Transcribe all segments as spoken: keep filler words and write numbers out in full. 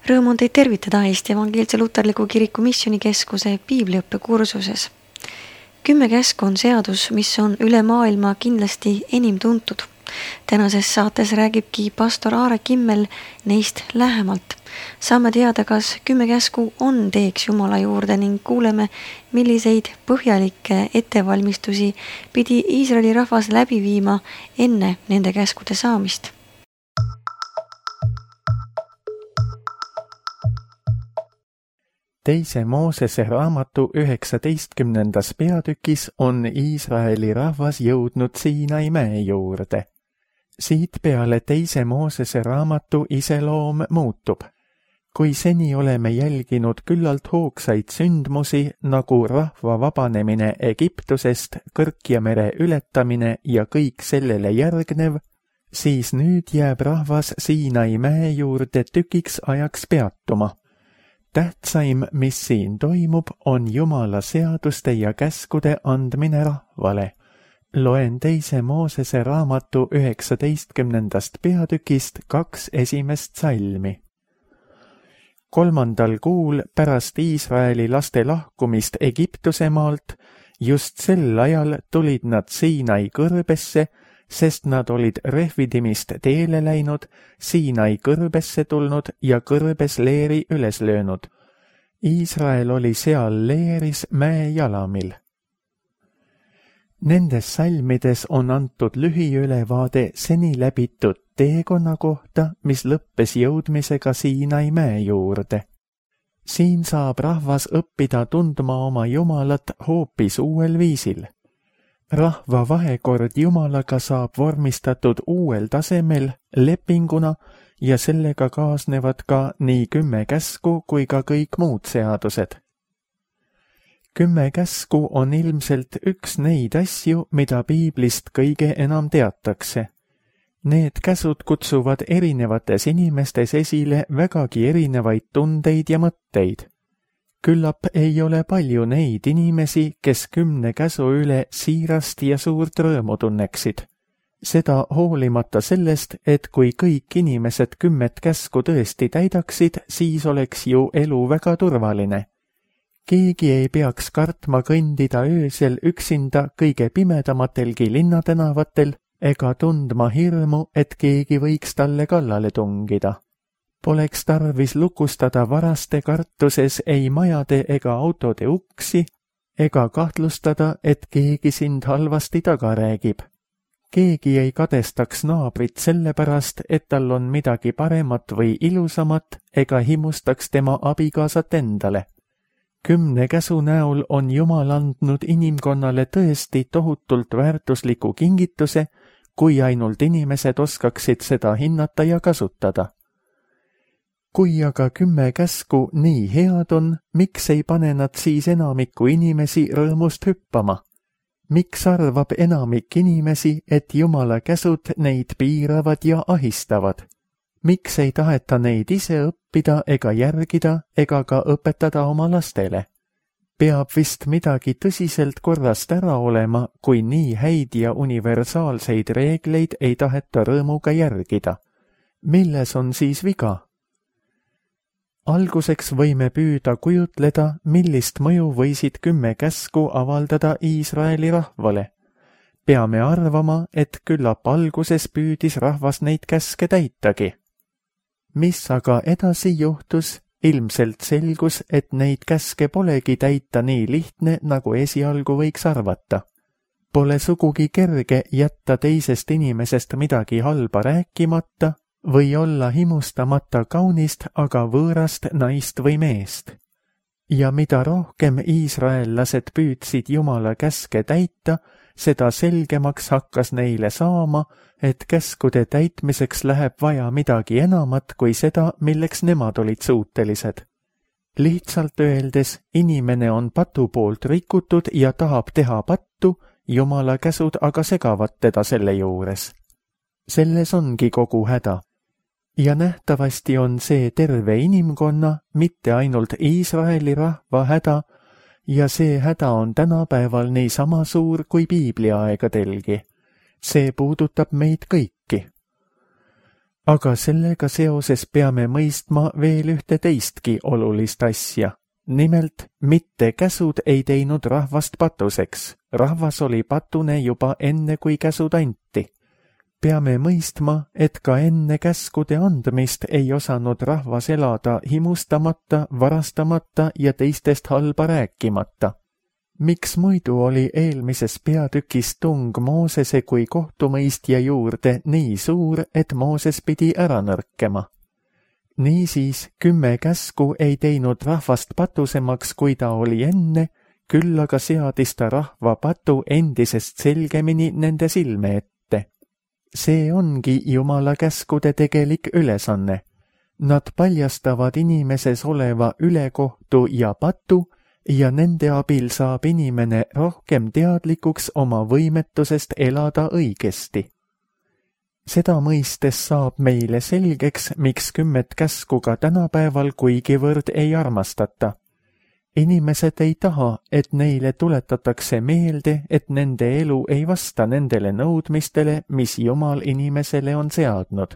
Rõõm on teid tervitada Eesti Evangeelse Luterliku Kiriku Missioonikeskuse piibliõppekursuses. Kümme käsku on seadus, mis on üle maailma kindlasti enim tuntud. Tänases saates räägibki pastor Aare Kimmel neist lähemalt. Saame teada, kas kümme käsku on teeks Jumala juurde ning kuuleme, milliseid põhjalikke ettevalmistusi pidi Iisraeli rahvas läbi viima enne nende käskude saamist. Teise Moosese raamatu üheksateistkümnendas peatükis on Iisraeli rahvas jõudnud Siinai mäe juurde. Siit peale teise Moosese raamatu iseloom muutub. Kui seni oleme jälginud küllalt hoogsaid sündmusi nagu rahva vabanemine Egiptusest, Kõrkja mere ületamine ja kõik sellele järgnev, siis nüüd jääb rahvas Siinai mäe juurde tükiks ajaks peatuma. Tähtsaim, mis siin toimub, on Jumala seaduste ja käskude andmine rahvale. Loen teise Moosese raamatu üheksateistkümnendast peatükist kaks esimest salmi. Kolmandal kuul pärast Iisraeli laste lahkumist Egiptuse maalt, just sel ajal tulid nad Siinai kõrbesse, sest nad olid Refidimist teele läinud, Siinai kõrbesse tulnud ja kõrbes leeri üles löönud. Iisrael oli seal leeris mäe jalamil. Nendes salmides on antud lühiülevaade seni läbitud teekonna kohta, mis lõppes jõudmisega Siinai mäe juurde. Siin saab rahvas õppida tundma oma Jumalat hoopis uuel viisil. Rahva vahekord Jumalaga saab vormistatud uuel tasemel lepinguna ja sellega kaasnevad ka nii kümme käsku kui ka kõik muud seadused. Kümme käsku on ilmselt üks neid asju, mida piiblist kõige enam teatakse. Need käsud kutsuvad erinevates inimestes esile vägagi erinevaid tundeid ja mõtteid. Küllap ei ole palju neid inimesi, kes kümne käsu üle siirast ja suurt rõõmu tunneksid. Seda hoolimata sellest, et kui kõik inimesed kümmet käsku tõesti täidaksid, siis oleks ju elu väga turvaline. Keegi ei peaks kartma kõndida öösel üksinda kõige pimedamatelgi linnatänavatel ega tundma hirmu, et keegi võiks talle kallale tungida. Poleks tarvis lukustada varaste kartuses ei majade ega autode uksi ega kahtlustada, et keegi sind halvasti taga räägib. Keegi ei kadestaks naabrit sellepärast, et tal on midagi paremat või ilusamat ega himustaks tema abikaasat endale. Kümne käsu näol on Jumal andnud inimkonnale tõesti tohutult väärtusliku kingituse, kui ainult inimesed oskaksid seda hinnata ja kasutada. Kui aga kümme käsku nii head on, miks ei pane nad siis enamiku inimesi rõõmust hüppama? Miks arvab enamik inimesi, et Jumala käsud neid piiravad ja ahistavad? Miks ei taheta neid ise õppida ega järgida ega ka õpetada oma lastele? Peab vist midagi tõsiselt korrast ära olema, kui nii häid ja universaalseid reegleid ei taheta rõõmuga järgida. Milles on siis viga? Alguseks võime püüda kujutleda, millist mõju võisid kümme käsku avaldada Iisraeli rahvale. Peame arvama, et küllap alguses püüdis rahvas neid käske täitagi. Mis aga edasi juhtus, ilmselt selgus, et neid käske polegi täita nii lihtne, nagu esialgu võiks arvata. Pole sugugi kerge jätta teisest inimesest midagi halba rääkimata, või olla himustamata kaunist, aga võõrast naist või meest. Ja mida rohkem iisraellased püüdsid Jumala käske täita, seda selgemaks hakkas neile saama, et käskude täitmiseks läheb vaja midagi enamat kui seda, milleks nemad olid suutelised. Lihtsalt öeldes, inimene on patu poolt rikutud ja tahab teha pattu, Jumala käsud aga segavad teda selle juures. Selles ongi kogu häda. Ja nähtavasti on see terve inimkonna, mitte ainult Iisraeli rahva häda, ja see häda on tänapäeval nii sama suur kui piibliaegadelgi. See puudutab meid kõiki. Aga sellega seoses peame mõistma veel ühte teistki olulist asja. Nimelt, mitte käsud ei teinud rahvast patuseks. Rahvas oli patune juba enne, kui käsud anti. Peame mõistma, et ka enne käskude andmist ei osanud rahvas elada himustamata, varastamata ja teistest halba rääkimata. Miks muidu oli eelmises peatükis tung Moosese kui kohtumõistja juurde nii suur, et Mooses pidi ära nõrkema? Niisiis, kümme käsku ei teinud rahvast patusemaks, kui ta oli enne, küll aga seadis ta rahva patu endisest selgemini nende silme ette. See ongi Jumala käskude tegelik ülesanne. Nad paljastavad inimeses oleva ülekohtu ja patu ja nende abil saab inimene rohkem teadlikuks oma võimetusest elada õigesti. Seda mõistes saab meile selgeks, miks kümmet käsku ka tänapäeval kuigivõrd ei armastata. Inimesed ei taha, et neile tuletatakse meelde, et nende elu ei vasta nendele nõudmistele, mis Jumal inimesele on seadnud.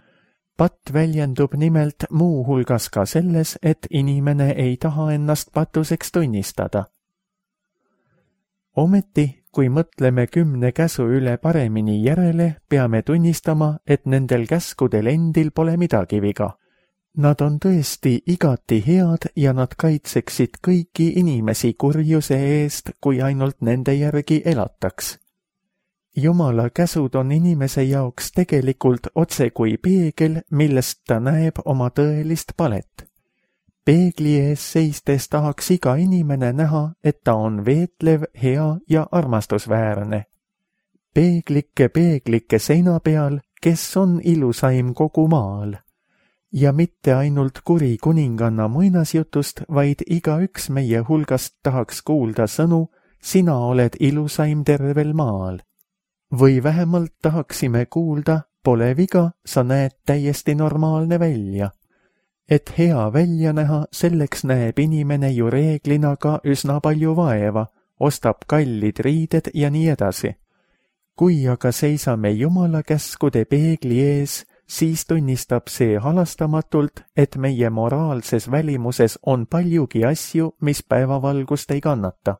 Patt väljendub nimelt muu hulgas ka selles, et inimene ei taha ennast patuseks tunnistada. Ometi, kui mõtleme kümne käsu üle paremini järele, peame tunnistama, et nendel käskudel endil pole midagi viga. Nad on tõesti igati head ja nad kaitseksid kõiki inimesi kurjuse eest, kui ainult nende järgi elataks. Jumala käsud on inimese jaoks tegelikult otse kui peegel, millest ta näeb oma tõelist palet. Peegli ees seistes tahaks iga inimene näha, et ta on veetlev, hea ja armastusväärne. Peeglike peeglike seina peal, kes on ilusaim kogu maal. Ja mitte ainult kuri kuninganna muinasjutust, vaid igaüks meie hulgast tahaks kuulda sõnu, sina oled ilusaim tervel maal. Või vähemalt tahaksime kuulda, pole viga, sa näed täiesti normaalne välja. Et hea välja näha, selleks näeb inimene ju reeglina ka üsna palju vaeva, ostab kallid riided ja nii edasi. Kui aga seisame Jumala käskude peegli ees, siis tunnistab see halastamatult, et meie moraalses välimuses on paljugi asju, mis päevavalgust ei kannata.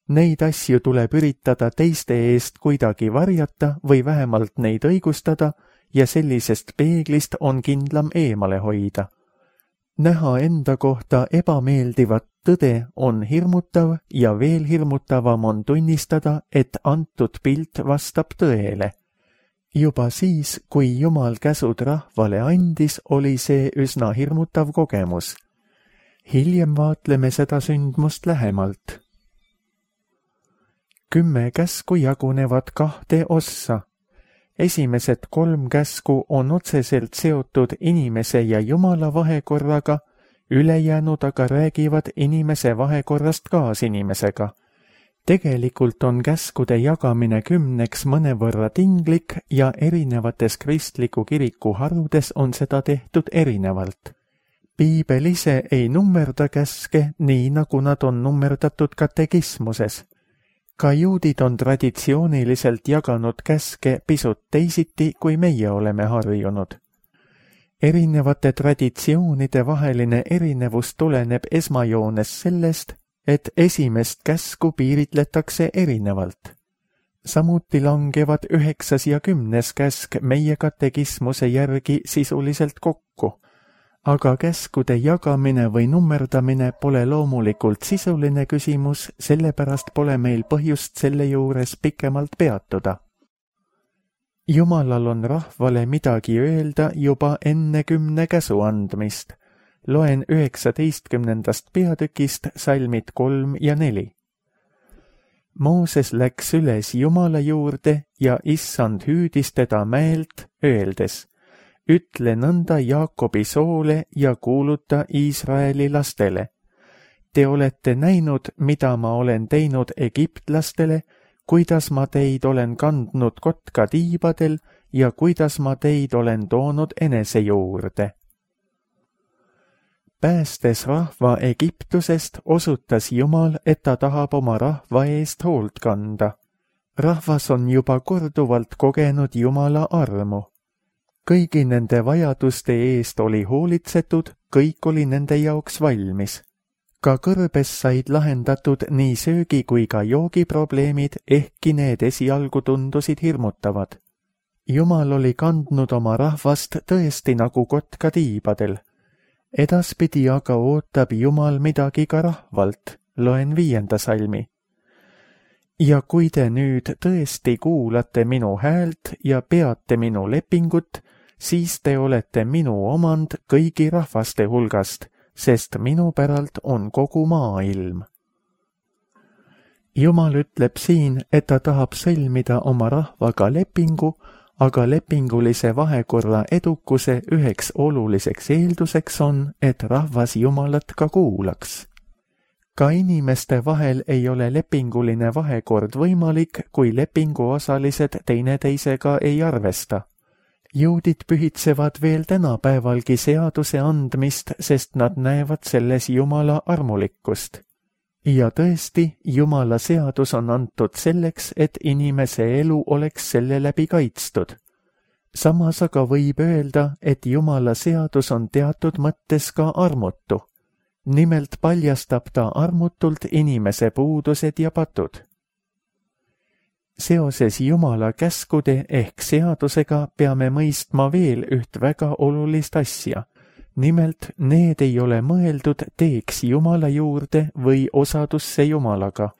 Neid asju tuleb üritada teiste eest kuidagi varjata või vähemalt neid õigustada ja sellisest peeglist on kindlam eemale hoida. Näha enda kohta ebameeldivat tõde on hirmutav ja veel hirmutavam on tunnistada, et antud pilt vastab tõele. Juba siis, kui Jumal käsud rahvale andis, oli see üsna hirmutav kogemus. Hiljem vaatleme seda sündmust lähemalt. Kümme käsku jagunevad kahte ossa. Esimesed kolm käsku on otseselt seotud inimese ja Jumala vahekorraga, ülejäänud aga räägivad inimese vahekorrast kaasinimesega. Tegelikult on käskude jagamine kümneks mõnevõrra tinglik ja erinevates kristliku kiriku harudes on seda tehtud erinevalt. Piibel ise ei nummerda käske nii, nagu nad on nummerdatud katekismuses. Ka juudid on traditsiooniliselt jaganud käske pisut teisiti, kui meie oleme harjunud. Erinevate traditsioonide vaheline erinevus tuleneb esmajoones sellest, et esimest käsku piiritletakse erinevalt. Samuti langevad üheksas ja kümnes käsk meie katekismuse järgi sisuliselt kokku. Aga käskude jagamine või nummerdamine pole loomulikult sisuline küsimus, sellepärast pole meil põhjust selle juures pikemalt peatuda. Jumalal on rahvale midagi öelda juba enne kümne käsu andmist. Loen üheksateistkümnendast peatükist salmid kolm ja neli. Mooses läks üles Jumala juurde ja issand hüüdis teda mäelt, öeldes: ütle nõnda Jaakobi soole ja kuuluta Iisraeli lastele. Te olete näinud, mida ma olen teinud egiptlastele, kuidas ma teid olen kandnud kotka tiibadel ja kuidas ma teid olen toonud enese juurde. Päästes rahva Egiptusest, osutas Jumal, et ta tahab oma rahva eest hoolt kanda. Rahvas on juba korduvalt kogenud Jumala armu. kõigi nende vajaduste eest oli hoolitsetud, kõik oli nende jaoks valmis. Ka kõrbes said lahendatud nii söögi kui ka joogiprobleemid, ehkki need esialgu tundusid hirmutavad. Jumal oli kandnud oma rahvast tõesti nagu kotka tiibadel. Edaspidi aga ootab Jumal midagi ka rahvalt, loen viienda salmi. Ja kui te nüüd tõesti kuulate minu häält ja peate minu lepingut, siis te olete minu omand kõigi rahvaste hulgast, sest minu päralt on kogu maailm. Jumal ütleb siin, et ta tahab sõlmida oma rahvaga lepingu, aga lepingulise vahekorra edukuse üheks oluliseks eelduseks on, et rahvas Jumalat ka kuulaks. Ka inimeste vahel ei ole lepinguline vahekord võimalik, kui lepinguosalised teineteisega ei arvesta. Juudid pühitsevad veel tänapäevalgi seaduse andmist, sest nad näevad selles Jumala armulikkust. Ja tõesti, Jumala seadus on antud selleks, et inimese elu oleks selle läbi kaitstud. Samas aga võib öelda, et Jumala seadus on teatud mõttes ka armutu. Nimelt paljastab ta armutult inimese puudused ja patud. Seoses Jumala käskude ehk seadusega peame mõistma veel üht väga olulist asja. Nimelt, need ei ole mõeldud teeks Jumala juurde või osadusse Jumalaga.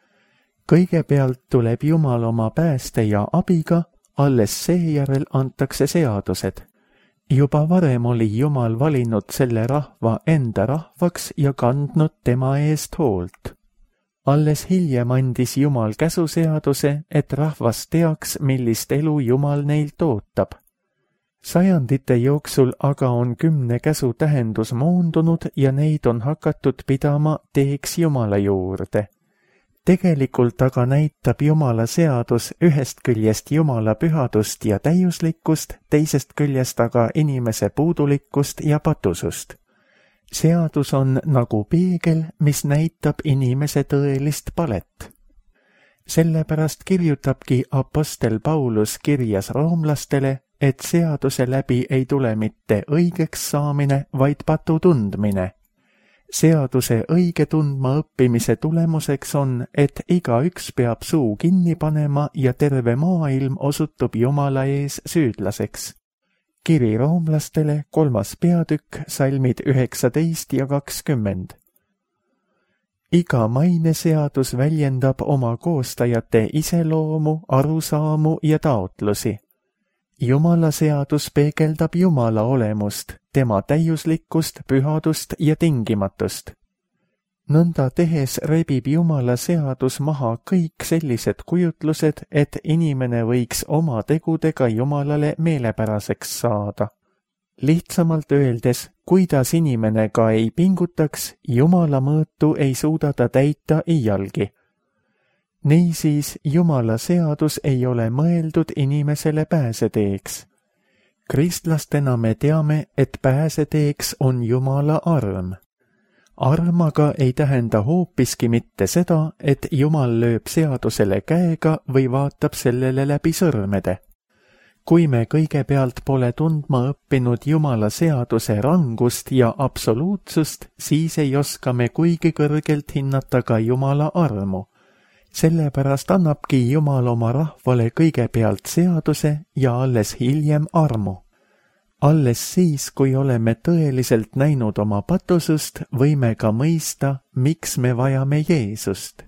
Kõigepealt tuleb Jumal oma pääste ja abiga, alles seejärel antakse seadused. Juba varem oli Jumal valinud selle rahva enda rahvaks ja kandnud tema eest hoolt. Alles hiljem andis Jumal käsuseaduse, et rahvas teaks, millist elu Jumal neilt ootab. Sajandite jooksul aga on kümne käsu tähendus moondunud ja neid on hakatud pidama teeks Jumala juurde. Tegelikult aga näitab Jumala seadus ühest küljest Jumala pühadust ja täiuslikkust, teisest küljest aga inimese puudulikkust ja patusust. Seadus on nagu peegel, mis näitab inimese tõelist palet. Sellepärast kirjutabki apostel Paulus kirjas roomlastele, et seaduse läbi ei tule mitte õigeks saamine, vaid patu tundmine. Seaduse õige tundma õppimise tulemuseks on, et igaüks peab suu kinni panema ja terve maailm osutub Jumala ees süüdlaseks. Kiri roomlastele, kolmas peatükk, salmid üheksateist ja kakskümmend. Iga maineseadus väljendab oma koostajate iseloomu, arusaamu ja taotlusi. Jumala seadus peegeldab Jumala olemust, tema täiuslikkust, pühadust ja tingimatust. Nõnda tehes rebib Jumala seadus maha kõik sellised kujutlused, et inimene võiks oma tegudega Jumalale meelepäraseks saada. Lihtsamalt öeldes, kuidas inimene ka ei pingutaks, Jumala mõõtu ei suuda ta täita iialgi. Niisiis, Jumala seadus ei ole mõeldud inimesele pääseteeks. Kristlastena me teame, et pääseteeks on Jumala arm. Arm aga ei tähenda hoopiski mitte seda, et Jumal lööb seadusele käega või vaatab sellele läbi sõrmede. Kui me kõigepealt pole tundma õppinud Jumala seaduse rangust ja absoluutsust, siis ei oska me kuigi kõrgelt hinnata ka Jumala armu. Sellepärast annabki Jumal oma rahvale kõigepealt seaduse ja alles hiljem armu. Alles siis, kui oleme tõeliselt näinud oma patusust, võime ka mõista, miks me vajame Jeesust.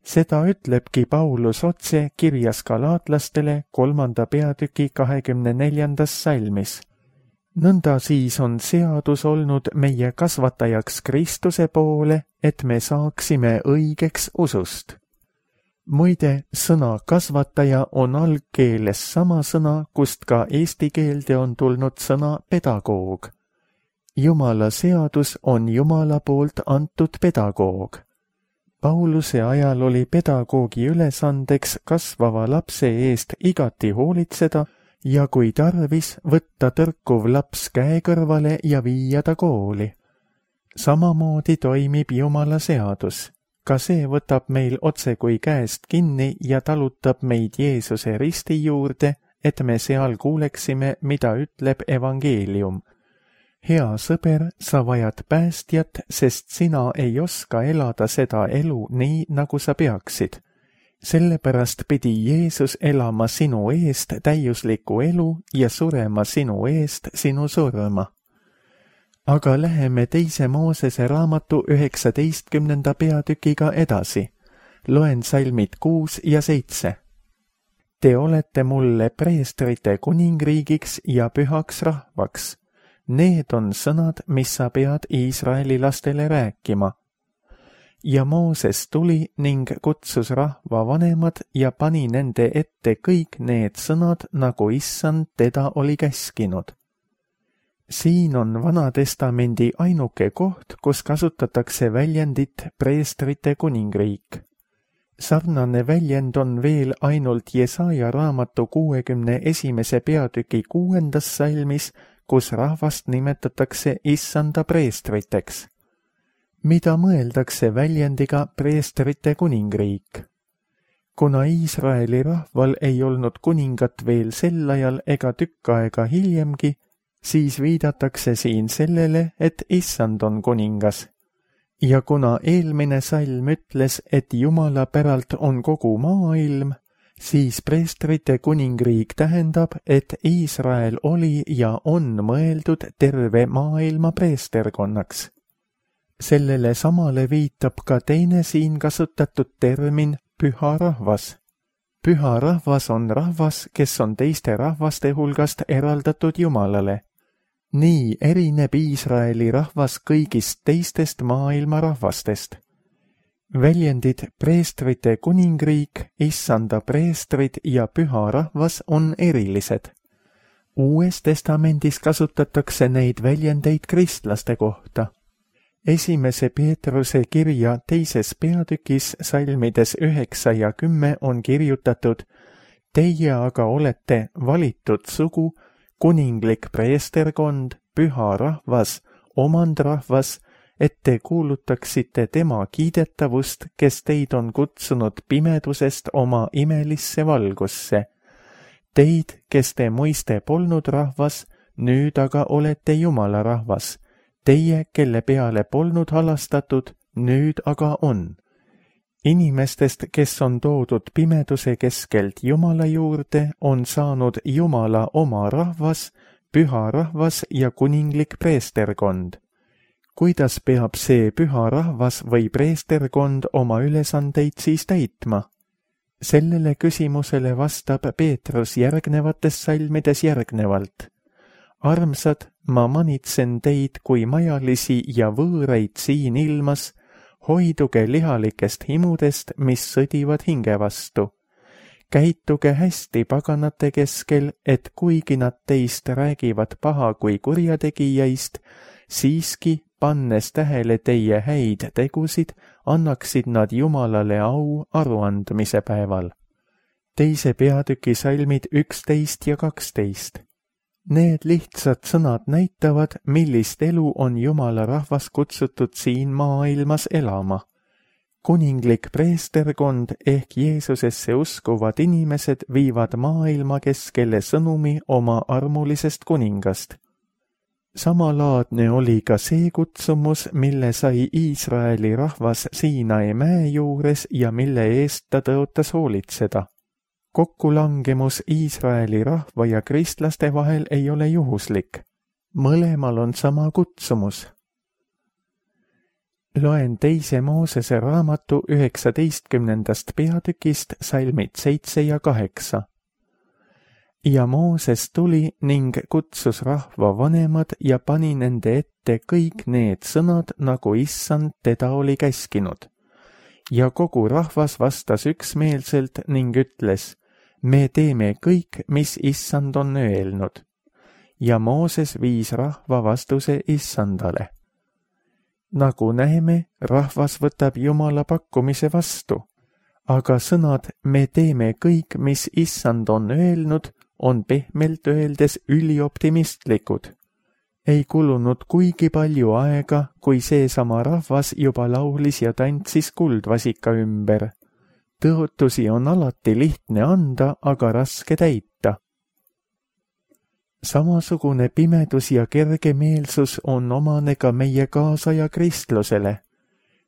Seda ütlebki Paulus otse kirjas galaatlastele kolmanda peatüki kahekümne neljandas salmis. Nõnda siis on seadus olnud meie kasvatajaks Kristuse poole, et me saaksime õigeks usust. Muide, sõna kasvataja on algkeeles sama sõna, kust ka eesti keelde on tulnud sõna pedagoog. Jumala seadus on Jumala poolt antud pedagoog. Pauluse ajal oli pedagoogi ülesandeks kasvava lapse eest igati hoolitseda ja kui tarvis, võtta tõrkuv laps käe kõrvale ja viia ta kooli. Samamoodi toimib Jumala seadus. Ka see võtab meil otse kui käest kinni ja talutab meid Jeesuse risti juurde, et me seal kuuleksime, mida ütleb evangeelium. Hea sõber, sa vajad päästjat, sest sina ei oska elada seda elu nii, nagu sa peaksid. Sellepärast pidi Jeesus elama sinu eest täiuslikku elu ja surema sinu eest sinu surma. Aga läheme teise Moosese raamatu üheksateistkümnenda peatükiga edasi. Loen salmid kuus ja seitse. Te olete mulle preestrite kuningriigiks ja pühaks rahvaks. Need on sõnad, mis sa pead Iisraeli lastele rääkima. Ja Mooses tuli ning kutsus rahva vanemad ja pani nende ette kõik need sõnad, nagu issand teda oli käskinud. Siin on Vana-testamendi ainuke koht, kus kasutatakse väljendit preestrite kuningriik. Sarnane väljend on veel ainult Jesaja raamatu kuuekümne esimese peatüki kuuendas salmis, kus rahvast nimetatakse issanda preestriteks. Mida mõeldakse väljendiga preestrite kuningriik? Kuna Iisraeli rahval ei olnud kuningat veel sel ajal ega tükk aega hiljemgi, siis viidatakse siin sellele, et issand on kuningas. Ja kuna eelmine salm ütles, et Jumala päralt on kogu maailm, siis preestrite kuningriik tähendab, et Iisrael oli ja on mõeldud terve maailma preesterkonnaks. Sellele samale viitab ka teine siin kasutatud termin püha rahvas. Püha rahvas on rahvas, kes on teiste rahvaste hulgast eraldatud Jumalale. Nii erineb Iisraeli rahvas kõigist teistest maailma rahvastest. Väljendid preestrite kuningriik, issanda preestrid ja püha rahvas on erilised. Uues testamendis kasutatakse neid väljendeid kristlaste kohta. Esimese Peetruse kirja teises peatükis salmides üheksa ja kümme on kirjutatud: Teie aga olete valitud sugu, kuninglik preesterkond, püha rahvas, omandrahvas, et te kuulutaksite tema kiidetavust, kes teid on kutsunud pimedusest oma imelisse valgusse. Teid, kes te muiste polnud rahvas, nüüd aga olete Jumala rahvas. Teie, kelle peale polnud halastatud, nüüd aga on. Inimestest, kes on toodud pimeduse keskelt Jumala juurde, on saanud Jumala oma rahvas, püha rahvas ja kuninglik preesterkond. Kuidas peab see püha rahvas või preesterkond oma ülesandeid siis täitma? Sellele küsimusele vastab Peetrus järgnevates salmides järgnevalt. Armsad, ma manitsen teid kui majalisi ja võõraid siin ilmas, hoiduge lihalikest himudest, mis sõdivad hinge vastu. Käituge hästi paganate keskel, et kuigi nad teist räägivad paha kui kurjategijaist, siiski, pannes tähele teie häid tegusid, annaksid nad Jumalale au aruandmise päeval. Teise peatüki salmid üksteist ja kaksteist. Need lihtsad sõnad näitavad, millist elu on Jumala rahvas kutsutud siin maailmas elama. Kuninglik preesterkond ehk Jeesusesse uskuvad inimesed viivad maailma keskele sõnumi oma armulisest kuningast. Samalaadne oli ka see kutsumus, mille sai Iisraeli rahvas Siinai mäe juures ja mille eest ta tõotas hoolitseda. Kokkulangemus Iisraeli rahva ja kristlaste vahel ei ole juhuslik. Mõlemal on sama kutsumus. Loen teise Moosese raamatu üheksateistkümnendast peatükist salmid seitse ja kaheksa. Ja Mooses tuli ning kutsus rahva vanemad ja pani nende ette kõik need sõnad, nagu issand teda oli käskinud. Ja kogu rahvas vastas üksmeelselt ning ütles: Me teeme kõik, mis issand on öelnud. Ja Mooses viis rahva vastuse issandale. Nagu näeme, rahvas võtab Jumala pakkumise vastu, aga sõnad "me teeme kõik, mis issand on öelnud" on pehmelt öeldes ülioptimistlikud. Ei kulunud kuigi palju aega, kui seesama rahvas juba laulis ja tantsis kuldvasika ümber. Tõotusi on alati lihtne anda, aga raske täita. Samasugune pimedus ja kergemeelsus on omane ka meie kaasaja kristlusele.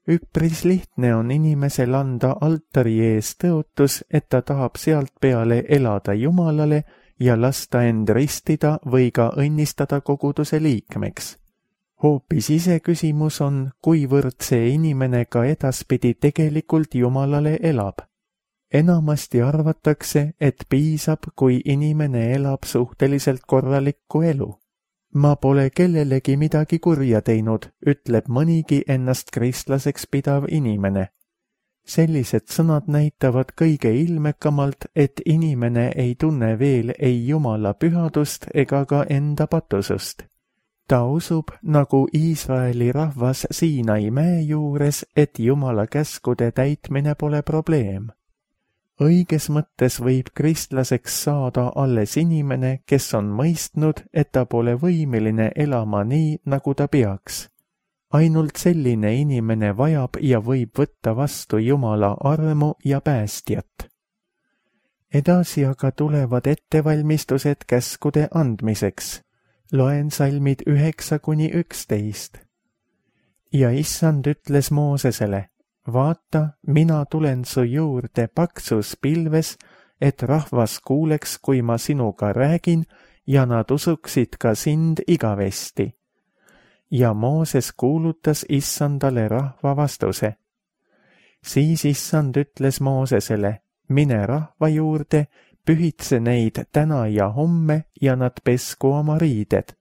Üpris lihtne on inimesel anda altari ees tõotus, et ta tahab sealt peale elada Jumalale ja lasta end ristida või ka õnnistada koguduse liikmeks. Hoopis ise küsimus on, kuivõrd see inimene ka edaspidi tegelikult Jumalale elab. Enamasti arvatakse, et piisab, kui inimene elab suhteliselt korralikku elu. Ma pole kellelegi midagi kurja teinud, ütleb mõnigi ennast kristlaseks pidav inimene. Sellised sõnad näitavad kõige ilmekamalt, et inimene ei tunne veel ei Jumala pühadust ega ka enda patusust. Ta usub, nagu Iisraeli rahvas Siinai mäe juures, et Jumala käskude täitmine pole probleem. Õiges mõttes võib kristlaseks saada alles inimene, kes on mõistnud, et ta pole võimeline elama nii, nagu ta peaks. Ainult selline inimene vajab ja võib võtta vastu Jumala armu ja päästjat. Edasi aga tulevad ettevalmistused käskude andmiseks. Loen salmid üheksa kuni üksteist. Ja issand ütles Moosesele, vaata, mina tulen su juurde paksus pilves, et rahvas kuuleks, kui ma sinuga räägin, ja nad usuksid ka sind igavesti. Ja Mooses kuulutas issandale rahva vastuse. Siis issand ütles Moosesele, mine rahva juurde, pühitse neid täna ja homme ja nad pesku oma riided.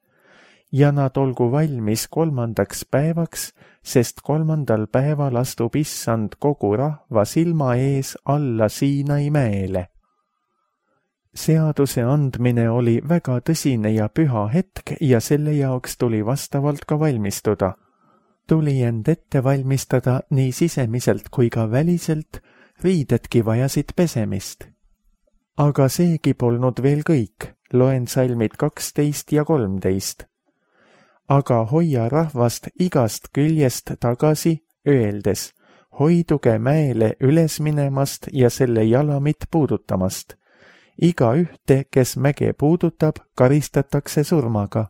Ja nad olgu valmis kolmandaks päevaks, sest kolmandal päeval astub issand kogu rahva silma ees alla Siinai mäele. Seaduse andmine oli väga tõsine ja püha hetk ja selle jaoks tuli vastavalt ka valmistuda. Tuli end ette valmistada nii sisemiselt kui ka väliselt, riidedki vajasid pesemist. Aga seegi polnud veel kõik, loen salmid kaksteist ja kolmteist. Aga hoia rahvast igast küljest tagasi, öeldes, hoiduge mäele üles minemast ja selle jalamit puudutamast. Iga ühte, kes mäge puudutab, karistatakse surmaga.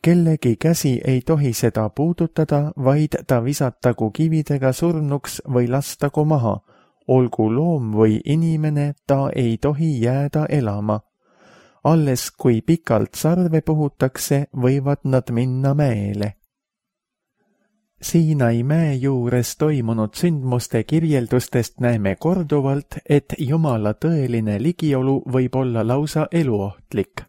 Kellegi käsi ei tohi seda puudutada, vaid ta visatagu kividega surnuks või lastagu maha. Olgu loom või inimene, ta ei tohi jääda elama. Alles kui pikalt sarve puhutakse, võivad nad minna mäele. Siinai mäe juures toimunud sündmuste kirjeldustest näeme korduvalt, et Jumala tõeline ligiolu võib olla lausa eluohtlik.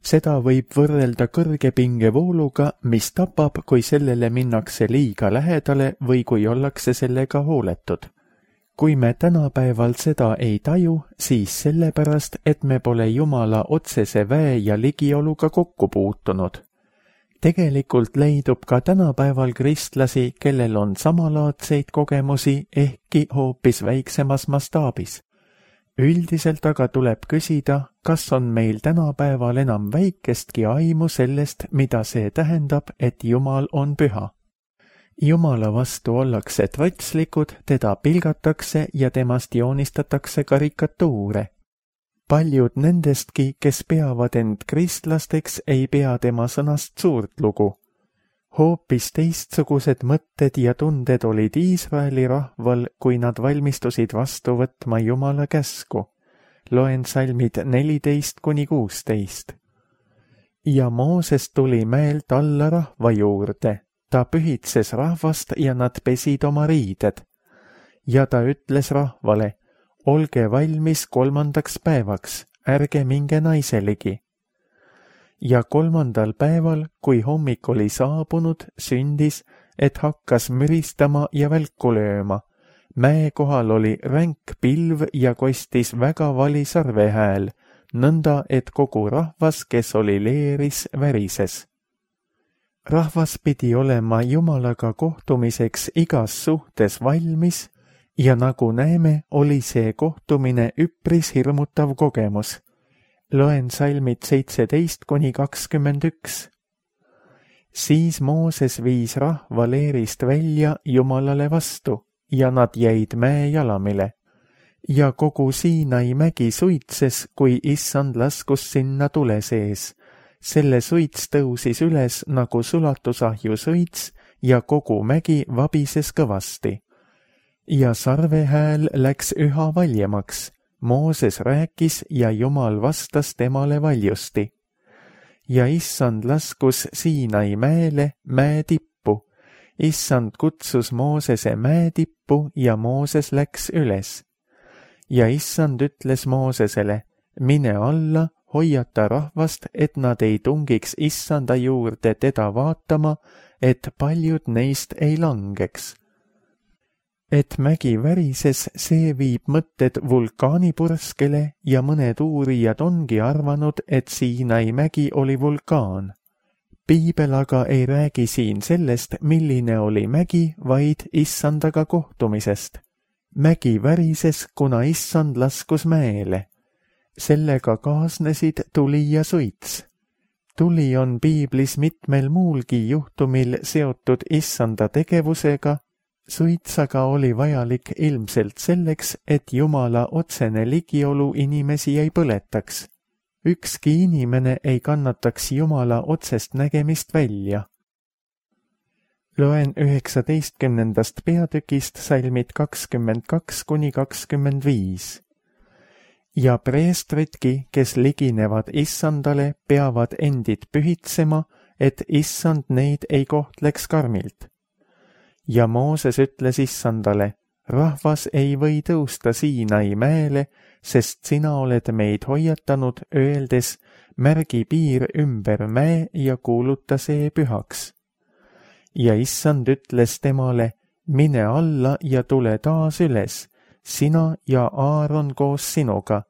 Seda võib võrrelda kõrge pingevooluga, mis tapab, kui sellele minnakse liiga lähedale või kui ollakse sellega hooletud. Kui me tänapäeval seda ei taju, siis sellepärast, et me pole Jumala otsese väe ja ligioluga kokku puutunud. Tegelikult leidub ka tänapäeval kristlasi, kellel on samalaadseid kogemusi, ehkki hoopis väiksemas mastaabis. Üldiselt aga tuleb küsida, kas on meil tänapäeval enam väikestki aimu sellest, mida see tähendab, et Jumal on püha. Jumala vastu ollakse trotslikud, teda pilgatakse ja temast joonistatakse karikatuure. Paljud nendestki, kes peavad end kristlasteks, ei pea tema sõnast suurt lugu. Hoopis teistsugused mõtted ja tunded olid Iisraeli rahval, kui nad valmistusid vastu võtma Jumala käsku. Loen salmid neliteist kuni kuusteist. Ja Mooses tuli mäelt alla rahva juurde. Ta pühitses rahvast ja nad pesid oma riided. Ja ta ütles rahvale, olge valmis kolmandaks päevaks, ärge minge naiseligi. Ja kolmandal päeval, kui hommik oli saabunud, sündis, et hakkas müristama ja välku lööma. Mäe kohal oli ränk pilv ja kostis väga vali sarvehääl, nõnda, et kogu rahvas, kes oli leeris, värises. Rahvas pidi olema Jumalaga kohtumiseks igas suhtes valmis ja nagu näeme, oli see kohtumine üpris hirmutav kogemus. Loen salmid seitseteist kuni kakskümmend üks. Siis Mooses viis rahva leerist välja Jumalale vastu ja nad jäid mäe jalamile. Ja kogu Siinai mägi suitses, kui issand laskus sinna tule sees. Selle suits tõusis üles nagu sulatusahju suits ja kogu mägi vabises kõvasti. Ja sarve hääl läks üha valjemaks. Mooses rääkis ja Jumal vastas temale valjusti. Ja issand laskus Siinai mäele mäe tippu. Issand kutsus Moosese mäe tippu ja Mooses läks üles. Ja issand ütles Moosesele, mine alla, hoiata rahvast, et nad ei tungiks issanda juurde teda vaatama, et paljud neist ei langeks. Et mägi värises, see viib mõtted vulkaanipurskele ja mõned uurijad ongi arvanud, et Siinai mägi oli vulkaan. Piibel aga ei räägi siin sellest, milline oli mägi, vaid issandaga kohtumisest. Mägi värises, kuna issand laskus mäele. Sellega kaasnesid tuli ja suits. Tuli on piiblis mitmel muulgi juhtumil seotud issanda tegevusega, suits aga oli vajalik ilmselt selleks, et Jumala otsene ligiolu inimesi ei põletaks. Ükski inimene ei kannataks Jumala otsest nägemist välja. Loen üheksateistkümnendast peatükist salmid kakskümmend kaks kuni kakskümmend viis. Ja preestritki, kes liginevad issandale, peavad endid pühitsema, et issand neid ei kohtleks karmilt. Ja Mooses ütles issandale, rahvas ei või tõusta Siinai mäele, sest sina oled meid hoiatanud, öeldes, märgi piir ümber mäe ja kuuluta see pühaks. Ja issand ütles temale, mine alla ja tule taas üles, sina ja Aaron koos sinuga.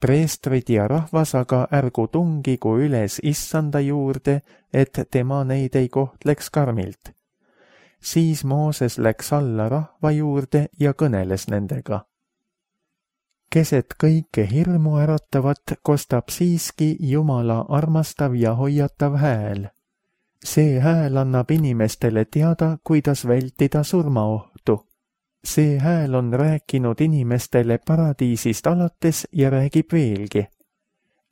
Preestrid ja rahvas aga ärgu tungigu üles issanda juurde, et tema neid ei kohtleks karmilt. Siis Mooses läks alla rahva juurde ja kõneles nendega. Keset kõike hirmu äratavat kostab siiski Jumala armastav ja hoiatav hääl. See hääl annab inimestele teada, kuidas vältida surmaohtu. See hääl on rääkinud inimestele paradiisist alates ja räägib veelgi.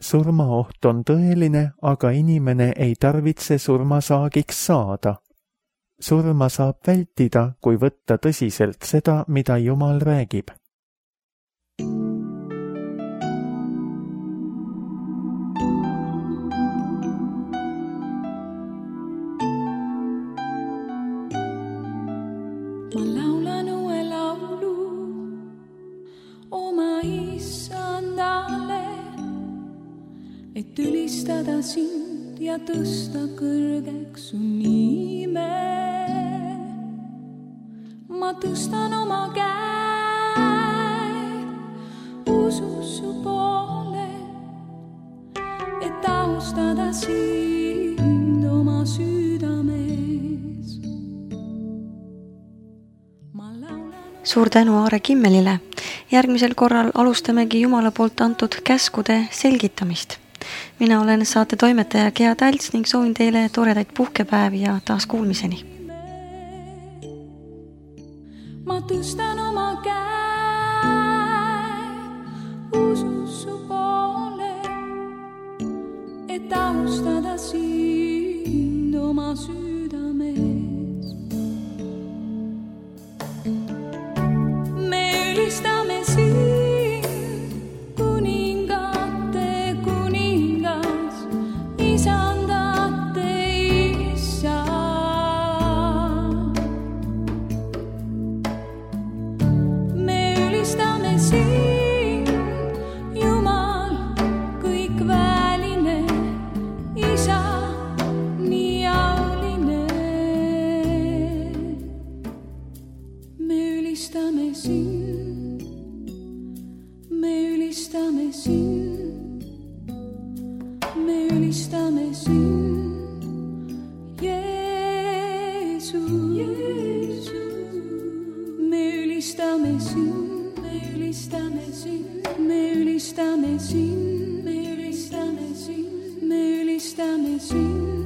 Surmaoht on tõeline, aga inimene ei tarvitse surmasaagiks saada. Surma saab vältida, kui võtta tõsiselt seda, mida Jumal räägib. Ma laulan uue laulu oma issandale, et ülistada sind ja tõsta kõrgeks su nime. Ma tõstan oma käed usus su poole, et austada sind oma südames. Suur tänu Aare Kimmelile. Järgmisel korral alustamegi Jumala poolt antud käskude selgitamist. Mina olen saate toimetaja Gea Talts ning soovin teile toredaid puhkepäevi ja taas kuulmiseni. Ma tõstan oma käed usus su poole, et austada sind oma südames. Me ülistame sind, kuningate kuningas, isandate isa. Me ülistame sind, me ülistame sind, me ülistame sind.